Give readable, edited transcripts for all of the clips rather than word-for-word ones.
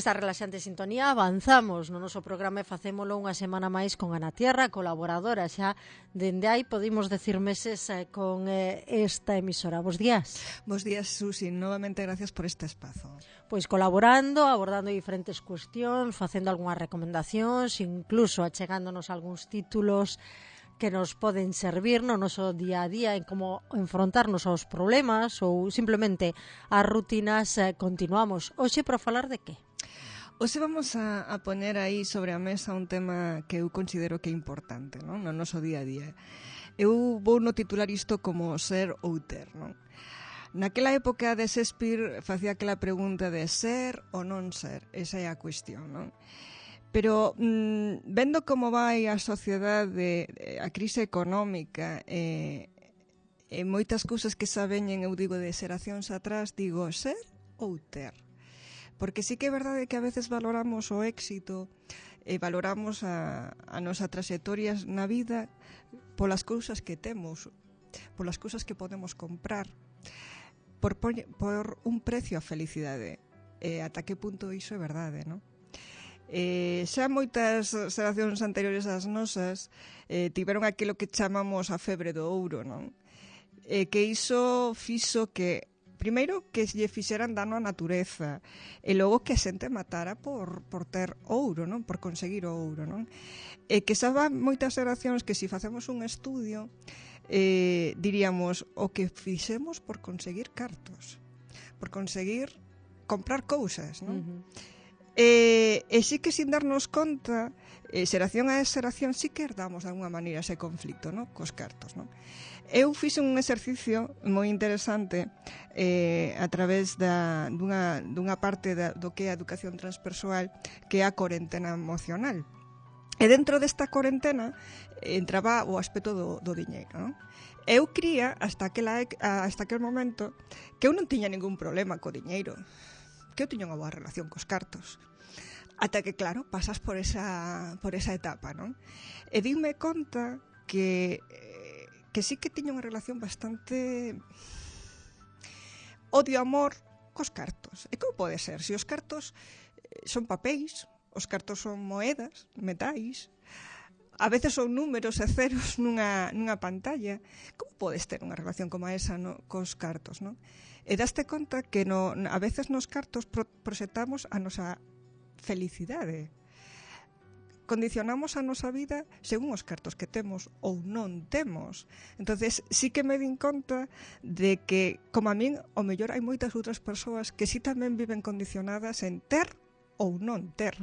esta relaxante sintonía avanzamos no noso programa e facémolo unha semana máis con Ana Tierra, colaboradora xa dende aí, podimos decir meses con esta emisora. Bos días. Bos días, Susi. Novamente gracias por este espazo. Pois colaborando, abordando diferentes cuestións, facendo algunhas recomendacións, incluso achegándonos algúns títulos que nos poden servir no noso día a día en como enfrontarnos aos problemas ou simplemente as rutinas. Continuamos. Hoxe para falar de que? Hoxe vamos a poner aí sobre a mesa un tema que eu considero que é importante, non? No noso día a día. Eu vou no titular isto como ser ou ter, non? Naquela época de Shakespeare facía aquela pregunta de ser ou non ser, esa é a cuestión, non? Pero vendo como vai a sociedade, a crise económica e moitas cousas que xa veñen, eu digo, de xeracións atrás, digo, ser ou ter? Porque sí que é verdade que a veces valoramos o éxito e valoramos a nosa trayectoria na vida polas cousas que temos, polas cousas que podemos comprar, por un precio a felicidade. Ata que punto iso é verdade, non? Xa moitas xeracións anteriores ás nosas tiveron aquilo que chamamos a febre do ouro, non? Que iso fixo que, primeiro, que lle fixeran dano á natureza e logo que a xente matara por ter ouro, non? Por conseguir o ouro, non? Que xa van moitas xeracións que se facemos un estudio diríamos o que fixemos por conseguir cartos, por conseguir comprar cousas, non? E sí que sin darnos conta, xeración a xeración sí que herdamos de alguma maneira ese conflicto, non? Cos cartos, non? Eu fixe un exercicio moi interesante a través dunha parte do que é a educación transpersoal, que é a corentena emocional. E dentro desta corentena entraba o aspecto do diñeiro, non? Eu cría hasta aquel momento que eu non tiña ningún problema co diñeiro, que eu tiña unha boa relación cos cartos. Ata que, claro, pasas por esa etapa, non? E dime conta que sí que tiña unha relación bastante odio-amor cos cartos. E como pode ser? Se os cartos son papéis, os cartos son moedas, metais, a veces son números e ceros nunha pantalla. Como podes ter unha relación como esa cos cartos, non? E daste conta que a veces nos cartos proxectamos a nosa felicidade. Condicionamos a nosa vida según os cartos que temos ou non temos. Entonces sí que me din conta de que, como a min, o mellor hai moitas outras persoas que sí tamén viven condicionadas en ter ou non ter.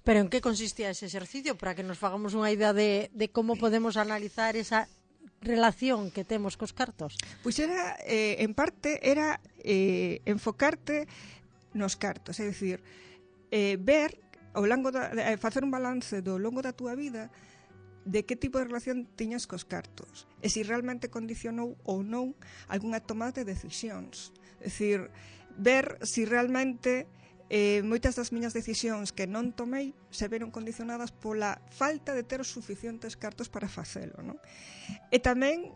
Pero en que consistía ese exercicio para que nos fagamos unha idea de como podemos analizar esa relación que temos cos cartos? Pois era, en parte, era enfocarte nos cartos, é dicir, ver ao longo facer un balance do longo da túa vida de que tipo de relación tiñas cos cartos e se realmente condicionou ou non algunha toma de decisións. É dicir, ver se realmente moitas das miñas decisións que non tomei se veron condicionadas pola falta de ter os suficientes cartos para facelo, non? E tamén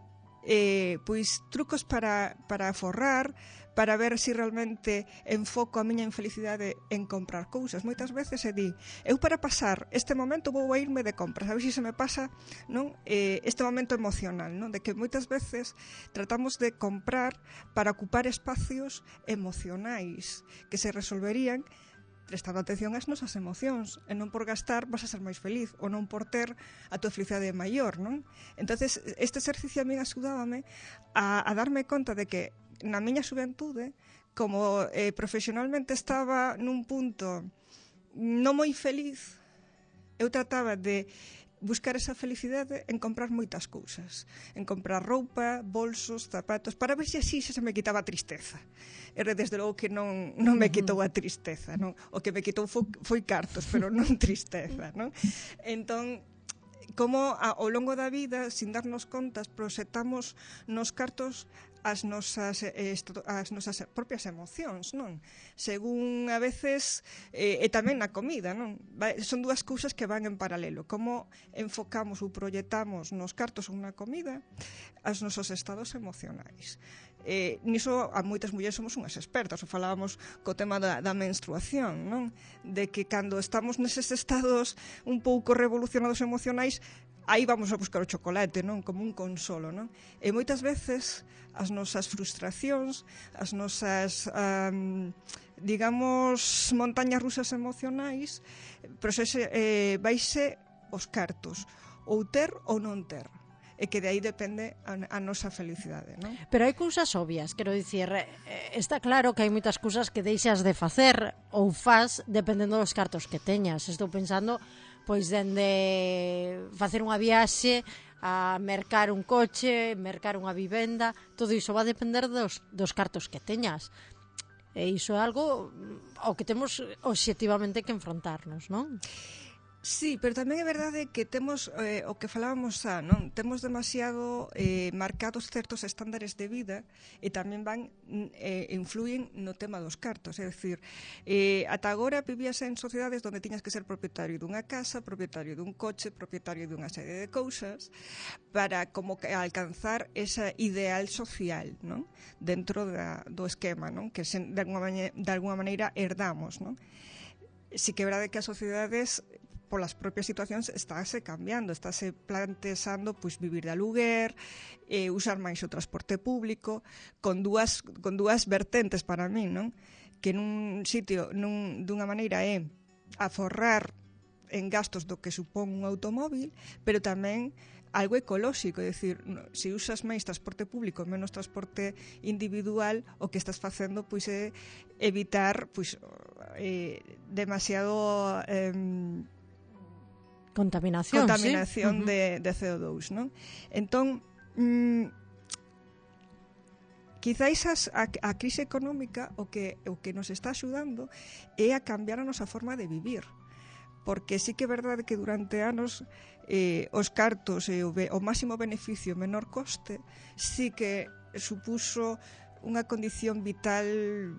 pois trucos para aforrar, para ver se realmente enfoco a miña infelicidade en comprar cousas. Moitas veces eu para pasar este momento vou a irme de compras, a ver se me pasa, non? Este momento emocional, non? De que moitas veces tratamos de comprar para ocupar espacios emocionais que se resolverían prestando atención ás nosas emocións e non por gastar vas a ser máis feliz ou non por ter a tua felicidade maior, non? Entonces este exercicio a min axudábame a darme conta de que na miña xuventude, como profesionalmente estaba nun punto non moi feliz, eu trataba de buscar esa felicidade en comprar moitas cousas, en comprar roupa, bolsos, zapatos, para ver se así se me quitaba a tristeza. E desde logo que non me quitou a tristeza, non? O que me quitou foi cartos, pero non tristeza, non? Entón, como ao longo da vida, sin darnos contas, proxectamos nos cartos as nosas propias emocións, non? Según a veces, e tamén na comida, non? Son dúas cousas que van en paralelo. Como enfocamos ou proyectamos nos cartos ou na comida as nosos estados emocionais. Niso a moitas mulleres somos unhas expertas, o falábamos co tema da menstruación, non? De que cando estamos neses estados un pouco revolucionados emocionais, aí vamos a buscar o chocolate, non? Como un consolo, non? E moitas veces as nosas frustracións, as nosas digamos montañas rusas emocionais, vaise os cartos, ou ter ou non ter, e que de aí depende a nosa felicidade, non? Pero hai cousas obvias, quero dicir, está claro que hai moitas cousas que deixas de facer ou faz dependendo dos cartos que teñas. Estou pensando, pois, dende facer unha viaxe a mercar un coche, mercar unha vivenda, todo iso va a depender dos cartos que teñas. E iso é algo ao que temos obxectivamente que enfrontarnos, non? Sí, pero tamén é verdade que temos o que falábamos non? Temos demasiado marcados certos estándares de vida e tamén influyen no tema dos cartos, é dicir, ata agora vivías en sociedades onde tiñas que ser propietario dunha casa, propietario dun coche, propietario dunha serie de cousas para como que alcanzar esa ideal social, non? Dentro do esquema, non? Que de alguma maneira herdamos, non? Si que é verdade que as sociedades polas propias situacións estáse cambiando, estáse plantexando pois vivir de aluguer, usar máis o transporte público, con dúas vertentes para min, non? Que nun sitio, dunha maneira é aforrar en gastos do que supón un automóvil, pero tamén algo ecolóxico, é dicir, se usas máis transporte público, menos transporte individual, o que estás facendo pois é evitar pois demasiado contaminación sí. de CO2, non? Entón, quizáis a crise económica o que nos está axudando é a cambiar a nosa forma de vivir, porque sí que é verdade que durante anos os cartos e o máximo beneficio menor coste sí que supuso unha condición vital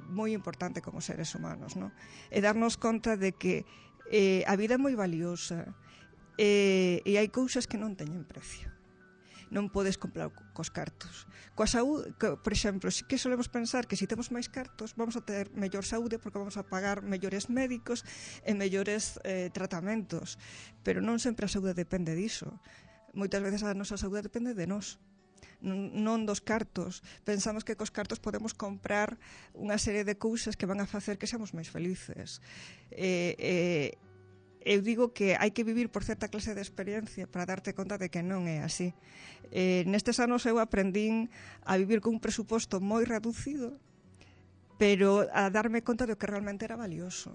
moi importante como seres humanos, non? E darnos conta de que a vida é moi valiosa, e hai cousas que non teñen precio, non podes comprar cos cartos. Coa saúde, por exemplo, si que solemos pensar que se temos máis cartos vamos a ter mellor saúde porque vamos a pagar mellores médicos e mellores tratamentos, pero non sempre a saúde depende diso. Moitas veces a nosa saúde depende de nós, non dos cartos. Pensamos que cos cartos podemos comprar unha serie de cousas que van a facer que seamos máis felices. Eu digo que hai que vivir por certa clase de experiencia para darte conta de que non é así. Nestes anos eu aprendín a vivir con un presuposto moi reducido, pero a darme conta de que realmente era valioso.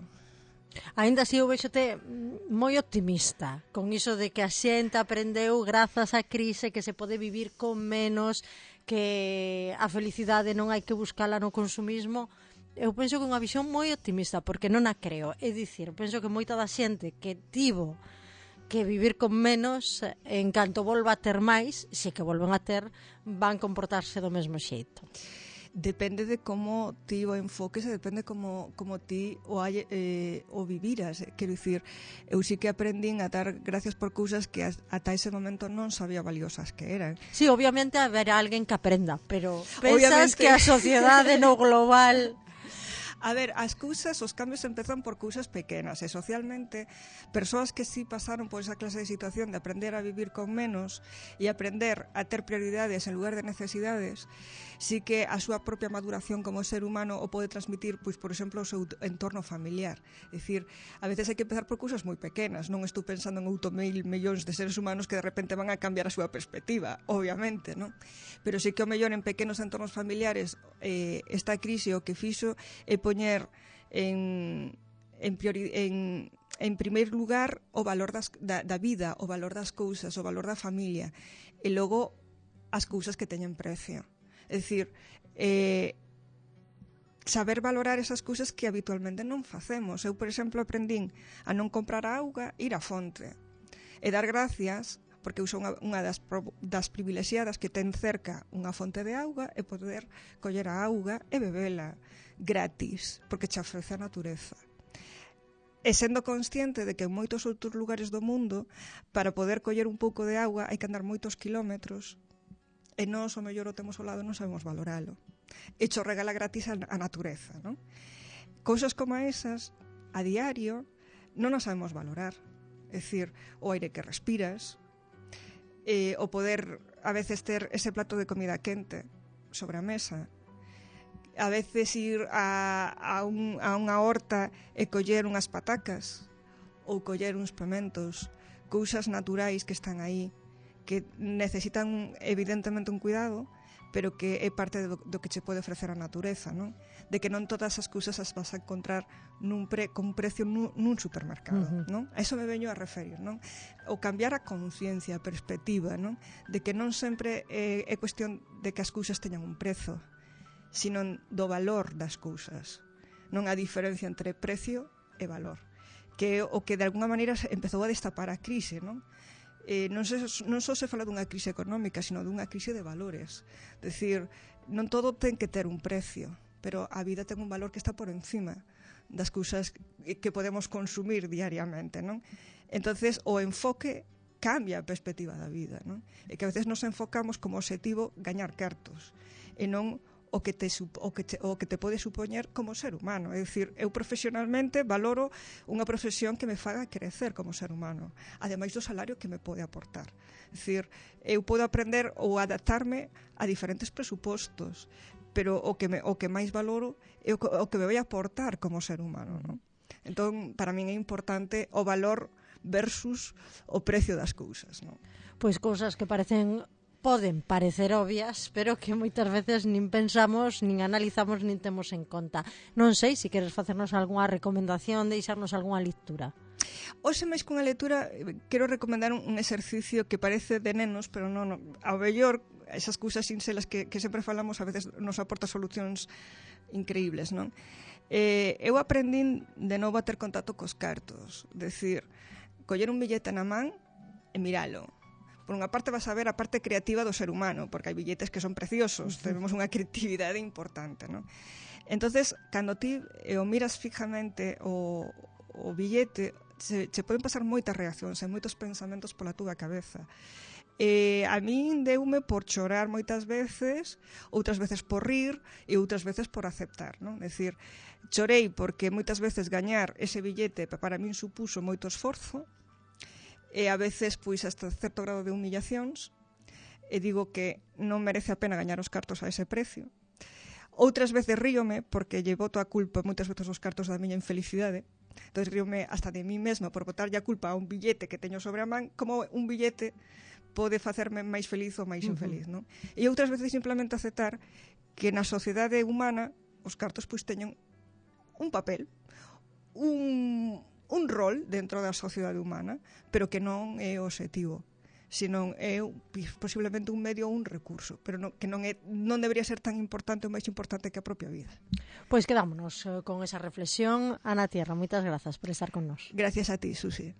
Ainda así eu vexote moi optimista con iso de que a xente aprendeu grazas á crise que se pode vivir con menos, que a felicidade non hai que buscala no consumismo. Eu penso que é unha visión moi optimista, porque non a creo. É dicir, penso que moita da xente que tivo que vivir con menos, en canto volva a ter máis, se que volven a ter, van comportarse do mesmo xeito. Depende de como ti o enfoques e depende como ti o viviras. Quero dicir, eu sí que aprendín a dar gracias por cousas que ata ese momento non sabía valiosas que eran. Sí, obviamente haberá alguén que aprenda, pero pensas que a sociedade no global... A ver, as cousas, os cambios empezan por cousas pequenas e socialmente persoas que sí pasaron por esa clase de situación de aprender a vivir con menos e aprender a ter prioridades en lugar de necesidades, sí que a súa propia maduración como ser humano o pode transmitir, pois, por exemplo, o seu entorno familiar. É dicir, a veces hai que empezar por cousas moi pequenas, non estou pensando en 8.000 millóns de seres humanos que de repente van a cambiar a súa perspectiva, obviamente, non? Pero sí que o mellor en pequenos entornos familiares esta crise o que fixo é poñer en primeiro lugar o valor da vida, o valor das cousas, o valor da familia, e logo as cousas que teñen precio. É dicir, saber valorar esas cousas que habitualmente non facemos. Eu, por exemplo, aprendín a non comprar auga, ir á fonte, e dar gracias porque eu son unha das privilexiadas que ten cerca unha fonte de auga e poder coller a auga e bebela gratis, porque che ofrece a natureza. E sendo consciente de que en moitos outros lugares do mundo, para poder coller un pouco de auga hai que andar moitos kilómetros, e nós, o mellor, o temos ao lado e non sabemos valoralo. E cho regala gratis a natureza, non? Cousas como esas, a diario, non as sabemos valorar. É dicir, o aire que respiras, o poder, a veces, ter ese plato de comida quente sobre a mesa, a veces ir a unha horta e coller unhas patacas ou coller uns pementos, cousas naturais que están aí, que necesitan evidentemente un cuidado, pero que é parte do que che pode ofrecer a natureza, non? De que non todas as cousas as vas a encontrar con un precio nun supermercado, non? A iso me veño a referir, non? O cambiar a conciencia, a perspectiva, non? De que non sempre é cuestión de que as cousas teñan un prezo, sino do valor das cousas, non a diferencia entre precio e valor, que é o que de alguna maneira empezou a destapar a crise, non? Non só se fala dunha crise económica, sino dunha crise de valores. Decir, non todo ten que ter un precio, pero a vida ten un valor que está por encima das cousas que podemos consumir diariamente, non? Entonces, o enfoque cambia a perspectiva da vida, non? E que a veces nos enfocamos como objetivo gañar cartos, e non o que te pode supoñer como ser humano. É dicir, eu profesionalmente valoro unha profesión que me faga crecer como ser humano, ademais do salario que me pode aportar. É dicir, eu podo aprender ou adaptarme a diferentes presupostos, pero o que máis valoro é o que me vai aportar como ser humano, non? Entón, para min é importante o valor versus o precio das cousas, non? Pois cousas que poden parecer obvias, pero que moitas veces nin pensamos, nin analizamos, nin temos en conta. Non sei se queres facernos algunha recomendación, deixarnos algunha lectura. Hoxe, máis que unha lectura, quero recomendar un exercicio que parece de nenos, pero non. Ao mellor, esas cousas sinxelas que sempre falamos a veces nos aporta solucións increíbles, non? Eu aprendín de novo a ter contacto cos cartos, decir, coller un billete na man e miralo. Por unha parte vas a ver a parte creativa do ser humano, porque hai billetes que son preciosos, tenemos unha creatividade importante, non? Entonces, cando ti o miras fijamente o billete, che poden pasar moitas reaccións e moitos pensamentos pola túa cabeza. A min deume por chorar moitas veces, outras veces por rir e outras veces por aceptar, non? É dicir, chorei porque moitas veces gañar ese billete para min supuso moito esforzo, e a veces, pois, hasta certo grado de humillacións, e digo que non merece a pena gañar os cartos a ese precio. Outras veces ríome, porque lle boto a culpa moitas veces os cartos da miña infelicidade, entón ríome hasta de mí mesma por botarlle a culpa a un billete que teño sobre a man, como un billete pode facerme máis feliz ou máis infeliz, non? E outras veces simplemente aceptar que na sociedade humana os cartos pois teñen un papel, un rol dentro da sociedade humana, pero que non é o obxectivo, senón é posiblemente un medio ou un recurso, pero que non debería ser tan importante ou máis importante que a propia vida. Pois quedámonos con esa reflexión. Ana Tierra, moitas grazas por estar con nós. Gracias a ti, Susi.